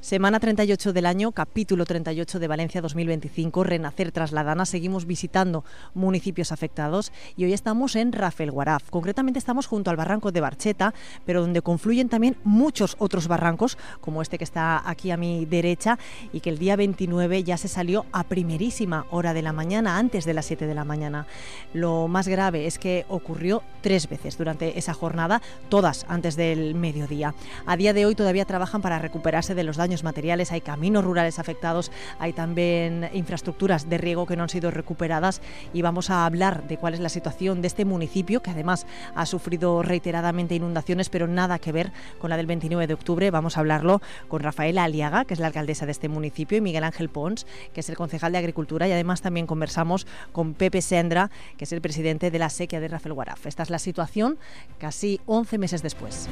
Semana 38 del año, capítulo 38 de Valencia 2025, Renacer tras la Dana. Seguimos visitando municipios afectados y hoy estamos en Rafelguaraf. Concretamente estamos junto al barranco de Barcheta, pero donde confluyen también muchos otros barrancos, como este que está aquí a mi derecha, y que el día 29 ya se salió a primerísima hora de la mañana, antes de las 7 de la mañana. Lo más grave es que ocurrió 3 veces durante esa jornada, todas antes del mediodía. A día de hoy todavía trabajan para recuperarse de los daños materiales, hay caminos rurales afectados, hay también infraestructuras de riego que no han sido recuperadas y vamos a hablar de cuál es la situación de este municipio, que además ha sufrido reiteradamente inundaciones, pero nada que ver con la del 29 de octubre. Vamos a hablarlo con Rafaela Aliaga, que es la alcaldesa de este municipio, y Miguel Ángel Pons, que es el concejal de Agricultura, y además también conversamos con Pepe Sendra, que es el presidente de la sequía de Rafelguaraf. Esta es la situación casi 11 meses después.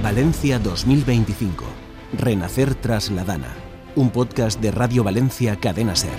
Valencia 2025. Renacer tras la Dana, un podcast de Radio Valencia Cadena Ser.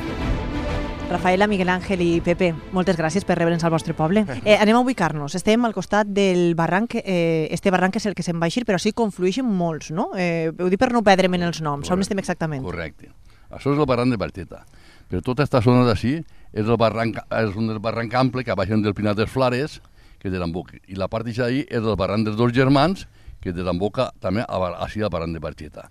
Rafaela, Miguel Ángel i Pepe, moltes gràcies per rebre'ns al vostre poble. Anem a ubicar-nos. Estem al costat del barranc, este barranc és el que se'n va eixir, però sí conflueixen molts, no? Ho dic per no perdre'm en els noms. On estem exactament? Correcte. Això és el barranc de Barcheta. Però tota aquesta zona d'ací és un barranc ample que baixen del Pinar dels Flares, que desemboca. I la part d'ahí és el barranc dels dos germans, que desemboca també així al barranc de Barcheta.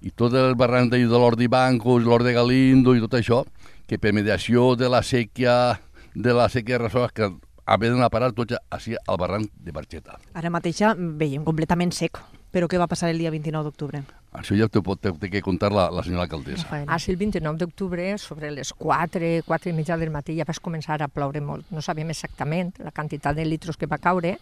I tot el barranc de l'Hort d'Ibancos, l'Hort de Galindo i tot això, que per mediació de la sèquia de Rasoles, que havien de parar tots així al barranc de Barcheta. Ara mateix veiem completament sec, però què va passar el dia 29 d'octubre? Això ja t'ho pot que contar la senyora alcaldessa. Així el 29 d'octubre, sobre les 4 i mitja del matí, ja va començar a ploure molt. No sabíem exactament la quantitat de litros que va caure.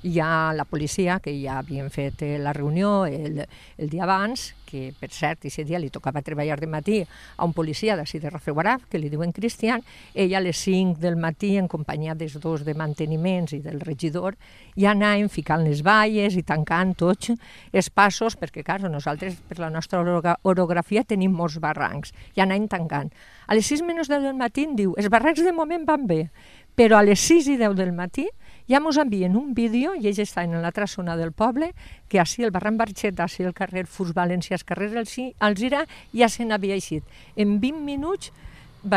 I ja la policia, que ja havien fet la reunió el dia abans, que per cert, aquest dia li tocava treballar de matí a un policia d'ací de Rafelguaraf, que li diuen Cristian, ella a les 5 del matí, en companyia dels dos de manteniments i del regidor, ja anàvem ficant les valles i tancant tots els passos, perquè, clar, nosaltres, per la nostra orografia, tenim molts barrancs, ja anàvem tancant. A les 6 menys 10 del matí em diu, els barrancs de moment van bé, però a les 6 i 10 del matí ja ens envien un vídeo, i ells estan en l'altra zona del poble, que així el barranc Barcheta, així el carrer Furs València, el carrer Alzira, ja se n'havia eixit. En 20 minuts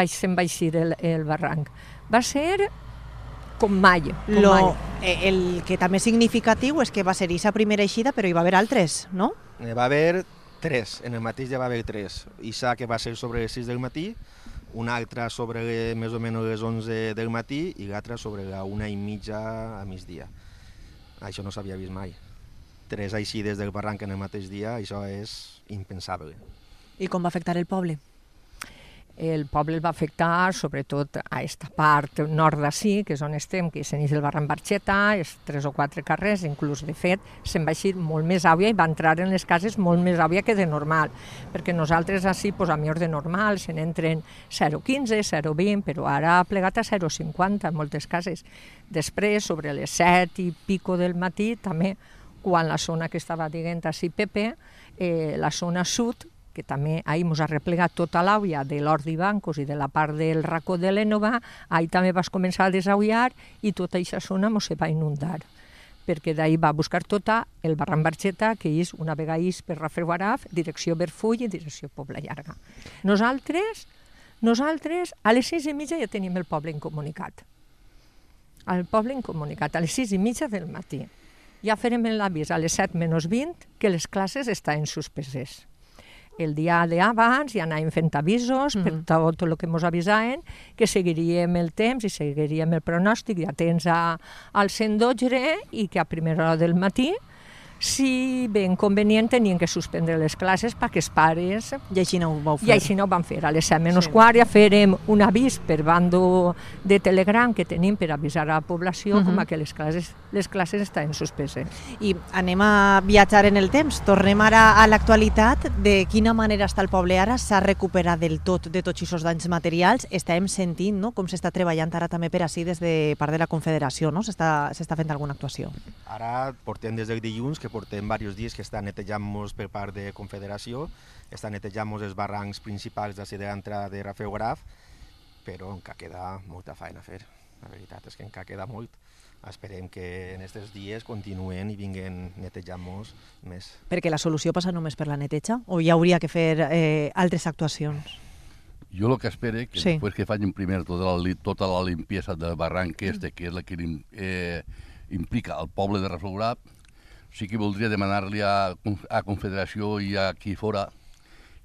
se'n va eixir el barranc. Va ser com mai. El que també és significatiu és que va ser aquesta primera eixida, però hi va haver altres, no? Va haver 3, en el mateix ja va haver 3. Ixa que va ser sobre les 6 del matí, una altra sobre més o menys les 11 del matí i l'altra sobre la 1:30 a migdia. Això no s'havia vist mai. 3 eixides del barranc en el mateix dia, això és impensable. I com va afectar el poble? El poble el va afectar sobretot a aquesta part nord d'ací, que és on estem, que s'ineix el barranc Barcheta, és 3 o 4 carrers, inclús de fet se'n va eixir molt més àvia i va entrar en les cases molt més àvia que de normal, perquè nosaltres ací, a millor de normal, se n'entren 0,15, 0,20, però ara ha plegat a 0,50 en moltes cases. Després, sobre les 7 i pico del matí, també, quan la zona que estava dient ací Pepe, la zona sud, que també ahir ens ha replegat tota l'àvia de l'Hort d'Ibancos i de la part del racó de l'Énova, ahir també vas començar a desaullar i tota aquesta zona ens va inundar, perquè d'ahir va buscar tota el barranc Barcheta, que és una vegada per Rafelguaraf, direcció Berfull i direcció Pobla Llarga. Nosaltres, a les 6:30 ja tenim el poble incomunicat. El poble incomunicat, a les 6:30 del matí. Ja farem l'avís a les 7 menys 20 que les classes estaven suspeses. El dia d'abans ja anàvem fent avisos per tot el que ens avisaven, que seguiríem el temps i seguiríem el pronòstic atents al 112 i que a primera hora del matí, si ben convenient, tenien que suspendre les classes perquè els pares... I així no ho vau fer. I així no ho van fer. A les 7 menys quart ja farem un avís per bando de Telegram que tenim per avisar a la població com que les classes estaven suspeses. I anem a viatjar en el temps. Tornem ara a l'actualitat. De quina manera està el poble ara? S'ha recuperat del tot de tots aquests danys materials? Estàvem sentint, no?, com s'està treballant ara també per així des de part de la Confederació, no? S'està fent alguna actuació? Ara portem des del dilluns, que portem diversos dies que està netejant-nos per part de Confederació, està netejant-nos els barrancs principals d'ací de l'entrada de Rafelguaraf, però encara queda molta feina a fer. La veritat és que encara queda molt. esperem que en aquests dies continuen i vinguen netejant molts més. Perquè la solució passa només per la neteja? O hi hauria que fer altres actuacions? Jo el que espero que Sí. després que facin primer tota la limpiesa del barranc que és la que implica al poble de Rafelguaraf, sí que voldria demanar-li a Confederació i a qui fora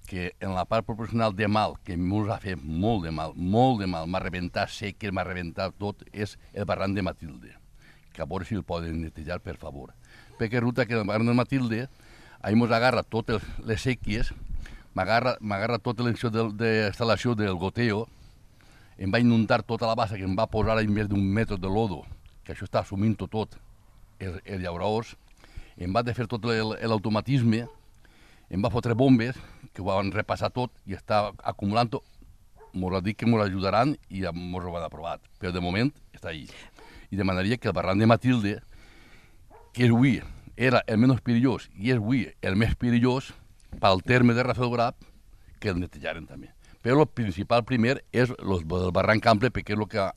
que en la part proporcional de mal, que ens ha fet molt de mal, m'ha rebentat seques, m'ha rebentat tot, és el barranc de Matilde, que a veure si el poden netejar, per favor. Perquè resulta que el barranc de Matilde, ahir ens agarra totes les sèquies, m'agarra tota l'instal·lació del goteo, em va inundar tota la bassa que em va posar a més d'un metre de lodo, que això està assumint tot els llauraors, em va fer tot l'automatisme, em va fotre bombes, que ho van repassar tot i està acumulant-ho. M'ho ha dit que m'ho ajudaran i m'ho han aprovat, però de moment està ahí. I demanaria que el barranc de Matilde, que avui era el menys perillós i és avui el més perillós pel terme de Rafelguaraf, que el netejaren també. Però el principal primer és el barranc ample, perquè és el que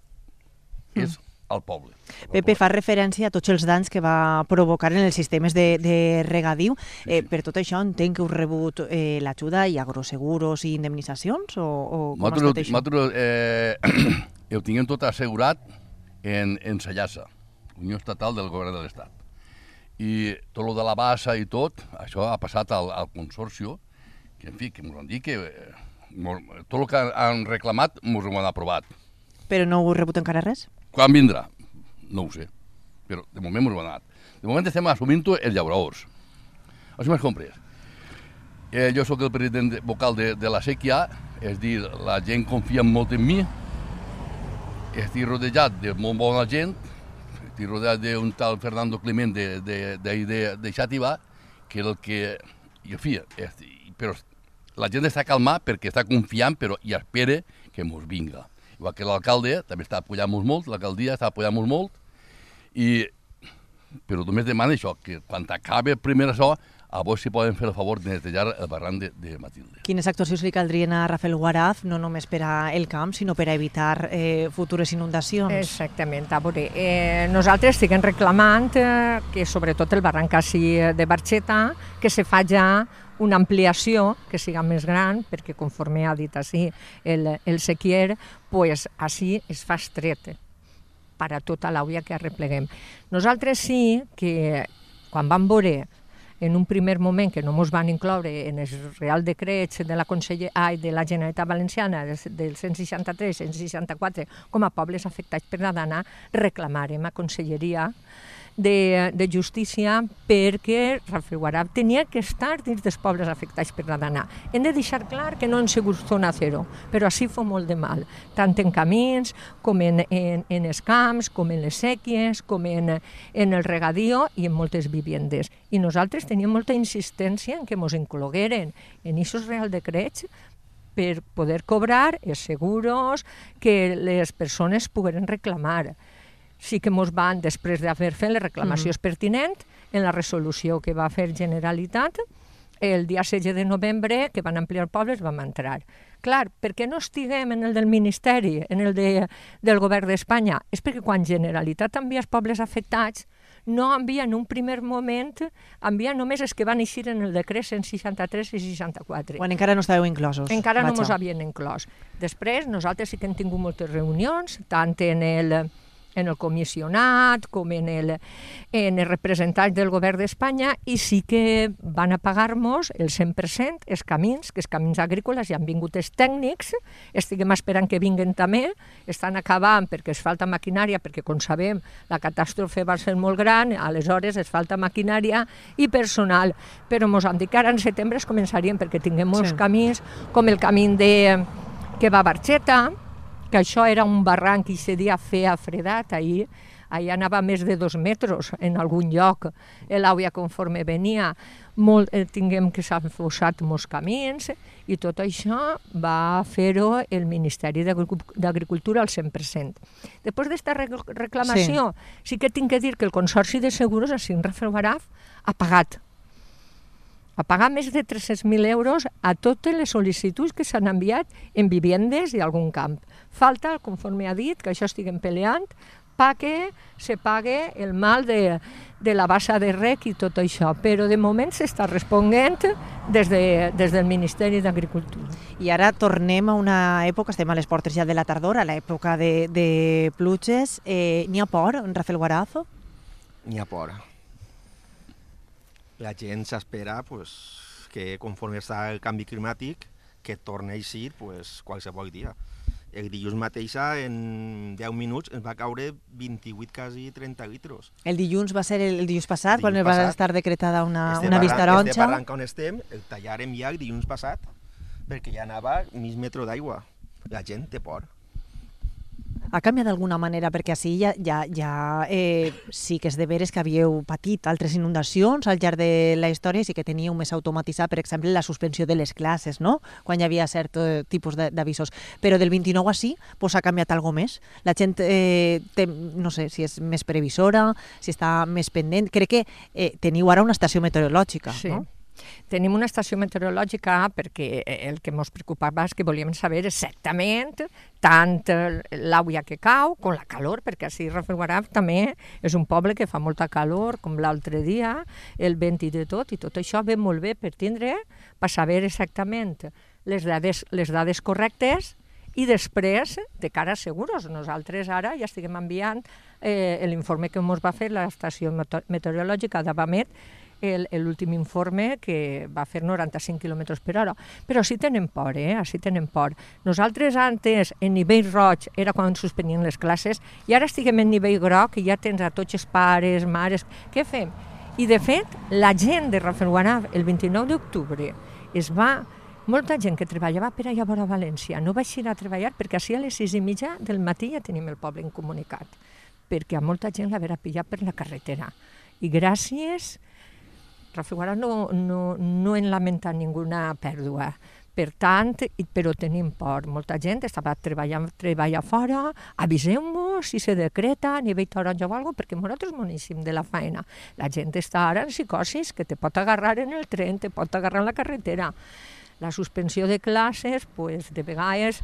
és al poble. Pepe, fa referència a tots els danys que va provocar en els sistemes de regadiu. Sí. Per tot això, entenc que heu rebut l'ajuda i agroseguros i indemnitzacions? O com ha estat això? Nosaltres ho tinguem tot assegurat en SEIASA, Unió Estatal del Govern de l'Estat. I tot el de la bassa i tot, això ha passat al Consorcio, que en fi, que ens han dit que tot el que han reclamat ens ho han aprovat. Però no heu rebut encara res? Quan vindrà? No ho sé, però de moment ens ho han donat. De moment estem assumint-ho els llauraors. Això m'has comprès. Jo sóc el president vocal de la sèquia, és dir, la gent confia molt en mi, estic rodejat de molt bona gent, estic rodejat d'un tal Fernando Clement de Xàtiva, que és el que... I, en fi, però la gent està calmada perquè està confiant i espera que ens vinga. Igual que l'alcalde també està apoyant-nos molt, l'alcaldia està apoyant-nos molt, però només demana això, que quan acabi primer això, a vos si poden fer el favor de netejar el barranc de Matilde. Quines actuacions li caldrien a Rafelguaraf, no només per al camp, sinó per a evitar futures inundacions? Exactament. A veure, nosaltres estiguem reclamant que sobretot el barranc així de Barxeta, que se fa ja una ampliació que siga més gran, perquè conforme ha dit així el sequier, pues així es fa estret per a tota l'àvia que arrepleguem. Nosaltres sí que quan vam veure en un primer moment que no ens van incloure en el Real Decret de la Generalitat Valenciana del 163, 164 com a pobles afectats per la dana, reclamarem a Conselleria de Justícia perquè Rafelguaraf tenia que estar dins dels pobles afectats per la dana. Hem de deixar clar que no han sigut zona zero, però així fa molt de mal, tant en camins com en els camps, com en les sèquies, com en el regadío i en moltes vivendes. I nosaltres teníem molta insistència en que ens inclogueren en aquests Real Decrets per poder cobrar els seguros que les persones pogueren reclamar. Sí que ens van, després d'haver fet les reclamacions pertinents, en la resolució que va fer Generalitat, el dia 16 de novembre, que van ampliar pobles, vam entrar. Clar, per què no estiguem en el del Ministeri, en el del Govern d'Espanya? És perquè quan Generalitat envia els pobles afectats, no envia en un primer moment, envia només els que van eixir en el decret 163 i 64. Quan encara no estàveu inclosos. Encara no ens havien inclòs. Després, nosaltres sí que hem tingut moltes reunions, tant en el comissionat com en els representants del govern d'Espanya, i sí que van a pagar-nos el 100% els camins, que els camins agrícoles ja han vingut els tècnics, estiguem esperant que vinguen també, estan acabant perquè es falta maquinària, perquè com sabem la catàstrofe va ser molt gran, aleshores es falta maquinària i personal, però ens han dit que ara en setembre es començarien perquè tinguem molts camins, com el camí que va a Barxeta, que això era un barranc i aquest dia feia fredat, ahir anava més de 2 metres en algun lloc, l'àvia conforme venia, tinguem que s'han fossat molts camins, i tot això va fer-ho el Ministeri d'Agricultura al 100%. Després d'aquesta reclamació, sí que tinc que dir que el Consorci de Seguros a Rafelguaraf ha pagat més de 300.000 euros a totes les sol·licituds que s'han enviat en vivendes i algun camp. Falta, conforme ha dit, que això estiguem peleant, se pague el mal de la bassa de rec i tot això, però de moment s'està responent des del Ministeri d'Agricultura. I ara tornem a una època, estem a les portes ja de la tardor, a l'època de pluges. N'hi ha por, Rafael Guarazo? N'hi ha por. La gent s'espera que conforme està el canvi climàtic, que torni a eixir qualsevol dia. El dilluns mateix, en 10 minuts, ens va caure 28, quasi 30 litres. El dilluns va ser el dilluns passat, quan va estar decretada una vista taronja. Este barranc on estem, el tallàrem ja el dilluns passat, perquè ja anava mig metre d'aigua. La gent té por. Ha canviat d'alguna manera? Perquè així ja sí que és de veres que havíeu patit altres inundacions al llarg de la història i sí que teníeu més automatitzat, per exemple, la suspensió de les classes, no? Quan hi havia cert tipus d'avisos. Però del 29 a sí, ha canviat alguna més? La gent, no sé, si és més previsora, si està més pendent. Crec que teniu ara una estació meteorològica, sí. No? Tenim una estació meteorològica perquè el que ens preocupava és que volíem saber exactament tant l'aigua que cau com la calor, perquè així Rafael Guaraf també és un poble que fa molta calor, com l'altre dia, el vent i de tot, i tot això ve molt bé per saber exactament les dades correctes i després, de cara a seguros. Nosaltres ara ja estiguem enviant l'informe que ens va fer l'estació meteorològica d'Avamet, l'últim informe que va fer 95 km per hora. Però sí tenen por, sí tenen por. Nosaltres antes, en nivell roig, era quan suspenien les classes, i ara estiguem en nivell groc i ja tens a tots els pares, mares... Què fem? I de fet, la gent de Rafelguaraf, el 29 d'octubre, molta gent que treballava per allà vora València no va eixir a treballar perquè així a les 6:30 del matí ja tenim el poble incomunicat, perquè a molta gent l'haverà pillat per la carretera. I gràcies... Rafael Guaraf no en lamenta ninguna pèrdua. Per tant, però tenim por. Molta gent estava treballant fora, aviseu-nos si se decreta a nivell taronja o alguna cosa, perquè nosaltres moníssim de la feina. La gent està ara en psicosis, que te pot agarrar en el tren, te pot agarrar en la carretera. La suspensió de classes, de vegades...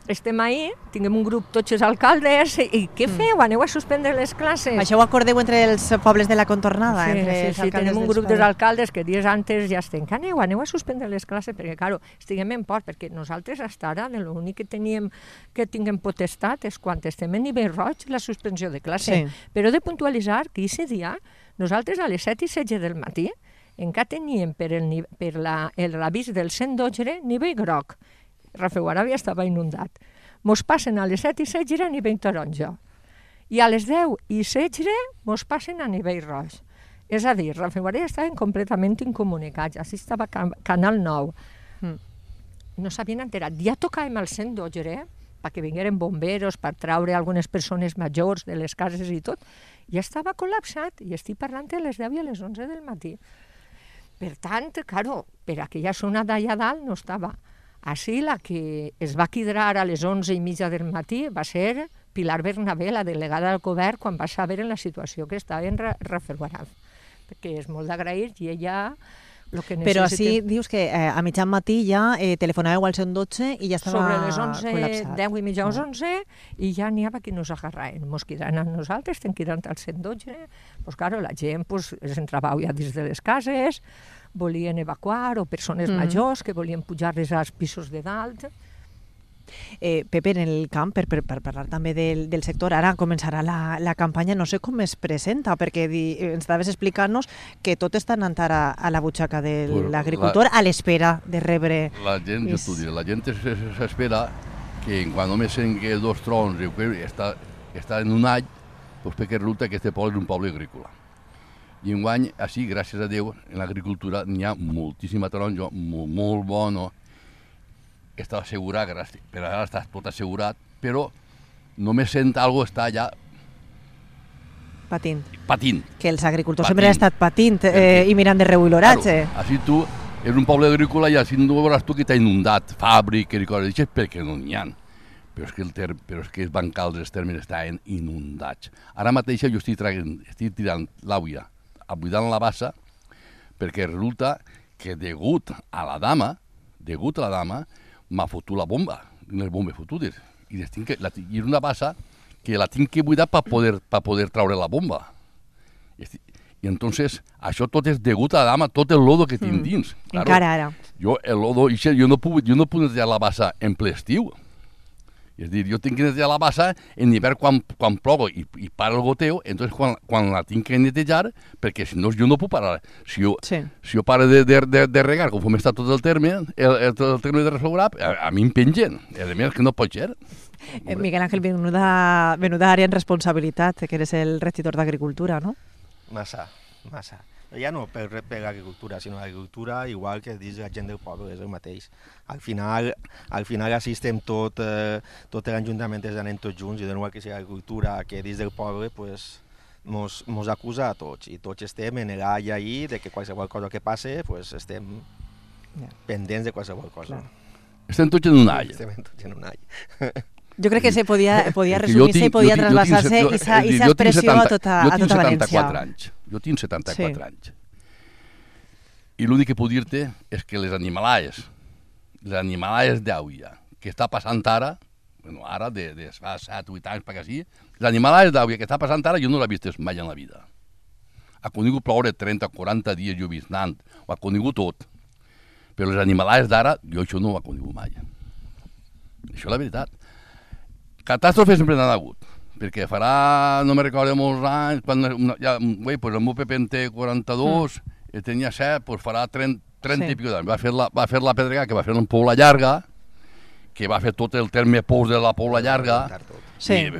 Estem ahí, tinguem un grup tots els alcaldes, i què feu? Aneu a suspendre les classes? Això ho acordeu entre els pobles de la contornada? Sí, tenim un grup dels alcaldes que dies antes ja estem, que aneu a suspendre les classes, perquè, claro, estiguem en por, perquè nosaltres fins ara l'únic que tinguem potestat és quan estem en nivell roig la suspensió de classes. Sí. Però he de puntualitzar que aquest dia, nosaltres a les 7:16 del matí, encara teníem per l'avís del 112 nivell groc. Rafael Guaraf ja estava inundat. Mos passen a les 7:16 a nivell taronja. I a les 10:16 mos passen a nivell roig. És a dir, Rafael Guaraf estaven completament incomunicats. Així estava Canal 9. No s'havien enterat. Ja tocàvem al 112 perquè vingueren bomberos per traure algunes persones majors de les cases i tot. Ja estava col·lapsat i estic parlant a les 10 i a les 11 del matí. Per tant, claro, per aquella zona d'allà dalt no estava. Així la que es va quidrar a les 11:30 del matí va ser Pilar Bernabé, la delegada del govern, quan va saber en la situació que estava en Rafael Guaraf. Perquè és molt d'agrair i ella... Però així dius que a mitjan matí ja telefonàveu al 112 i ja estava col·lapsat. Sobre les 10 i mitja o 11 i ja n'hi havia qui nos agarraven. Mos quedaren a nosaltres, estem quedant al 112. Pues claro, la gent es entrava ja dins de les cases, volien evacuar, o persones majors que volien pujar-les als pisos de dalt. Pepe, en el camp, per parlar també del sector, ara començarà la campanya, no sé com es presenta, perquè ens estaves explicant-nos que tot està anant ara a la butxaca de l'agricultor a l'espera de rebre... La gent, jo t'ho diré, la gent s'espera que quan només sent que 2 trons està en un any, doncs perquè resulta que aquest poble és un poble agrícola. I enguany, així, gràcies a Déu, en l'agricultura n'hi ha moltíssima taronja, molt bona, està assegurat, per ara està tot assegurat, però només sent alguna cosa està allà patint. Que els agricultors sempre han estat patint i mirant de reull l'oratge. Claro, així tu, és un poble agrícola i així no veuràs tu que t'ha inundat, fàbriques i coses d'això, perquè no n'hi ha. Però és que els bancals dels termes estaven inundats. Ara mateix jo estic tirant l'aigua, buidant la bassa, perquè resulta que degut a la dama, m'ha fotut la bomba, les bombes fotudes. I és una bassa que la tinc que buidar per poder traure la bomba. I entonces, això tot és degut a dama, tot el lodo que tinc dins. Claro, encara ara. Jo, el lodo, jo no puc netejar la bassa en ple estiu. És a dir, jo tinc que netejar la bassa en hivern quan plogo i para el goteo, entonces quan la tinc que netejar, perquè si no jo no puc parar. Si jo paro de regar, conforme està tot el terme de restaurar, a mi em pengen. A més, que no pot ser. Miguel Ángel, menuda área en responsabilitat, que eres el regidor d'Agricultura, ¿no? Massa. Ja no per l'agricultura, sinó l'agricultura, igual que dins la gent del poble, és el mateix. Al final així estem tot l'Ajuntament anem tots junts, i de nou que sigui l'agricultura, que dins del poble mos acusa a tots, i tots estem en l'all ahí de que qualsevol cosa que passe, estem pendents de qualsevol cosa. Estem tots en un all. Jo crec que se podia resumir-se i podia trasbasar-se i aquesta expressió a tota València. Jo tinc 74 anys. I l'únic que puc dir-te és que les animalades d'Àuia, que està passant ara, ara de fa 7 o 8 anys per aquí, les animalades d'Àuia que està passant ara jo no l'he vist mai en la vida. Ha conegut ploure 30 o 40 dies lloviznant, ho ha conegut tot. Però les animalades d'ara, jo això no ho ha conegut mai. Això és la veritat. Catàstrofes sempre n'han hagut, perquè farà, no me recordo molts anys, quan el meu Pepe en té 42, tenia 7, farà 30 i pico d'anys. Va fer la Pedregà, que va fer una Pobla Llarga, que va fer tot el terme pous de la Pobla Llarga,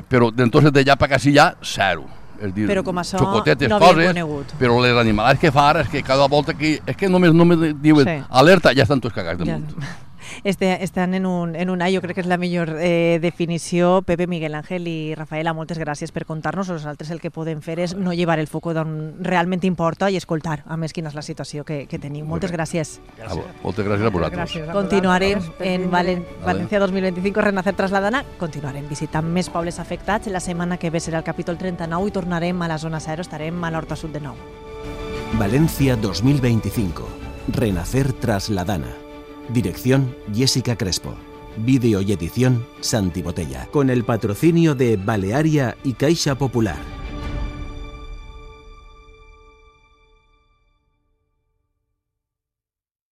però d'entonces d'allà per quasi ja, zero. És dir, però com això xocotetes, no havia conegut. Però les animalades que fa ara és que cada volta que... És que només diuen alerta, ja estan tots cagats damunt. Estan en un all, jo crec que és la millor definició. Pepe, Miguel Ángel i Rafaela, moltes gràcies per contar-nos. Nosaltres el que podem fer és no llevar el foc d'on realment importa i escoltar, a més, quina és la situació que tenim. Moltes gràcies. Moltes gràcies a vosaltres. Continuarem en València 2025, Renacer Trasladana. Continuarem visitant més pobles afectats. La setmana que ve serà el capítol 39 i tornarem a la zona 0, estarem a l'Horta Sud de nou. Valencia 2025, Renacer Trasladana. Dirección Jessica Crespo. Vídeo y edición Santi Botella. Con el patrocinio de Balearia y Caixa Popular.